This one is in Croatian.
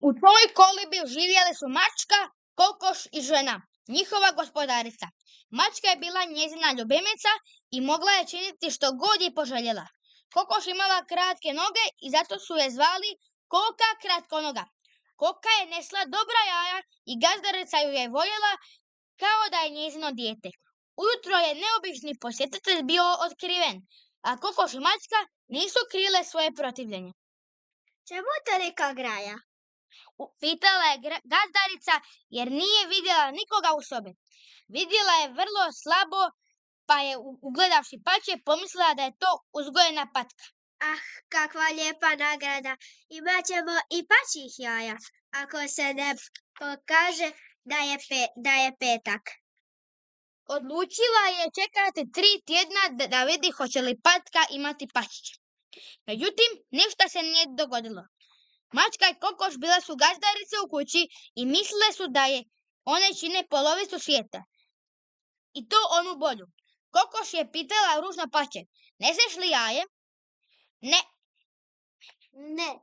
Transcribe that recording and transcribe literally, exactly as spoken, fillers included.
U toj kolibi živjeli su mačka, kokoš i žena, njihova gospodarica. Mačka je bila njezina ljubimica i mogla je činiti što god je poželjela. Kokoš imala kratke noge i zato su je zvali Koka kratkonoga. Koka je nesla dobra jaja i gazdarica ju je voljela kao da je njezino dijete. Ujutro je neobični posjetitelj bio otkriven, a kokoš i mačka nisu krile svoje protivljenje. Čemu tolika graja? Pitala je gazdarica jer nije vidjela nikoga u sobi. Vidjela je vrlo slabo, pa je ugledavši pače pomislila da je to uzgojena patka. Ah, kakva lijepa nagrada! Imat ćemo i pačjih jaja, ako se ne pokaže da je, pe, da je petak. Odlučila je čekati tri tjedna da, da vidi hoće li patka imati pačiće. Međutim, ništa se nije dogodilo. Mačka i kokoš bile su gazdarice u kući i mislile su da je one čine polovicu svijeta. I to onu bolju. Kokoš je pitala ružno pače, neseš li jaje? Ne. Ne.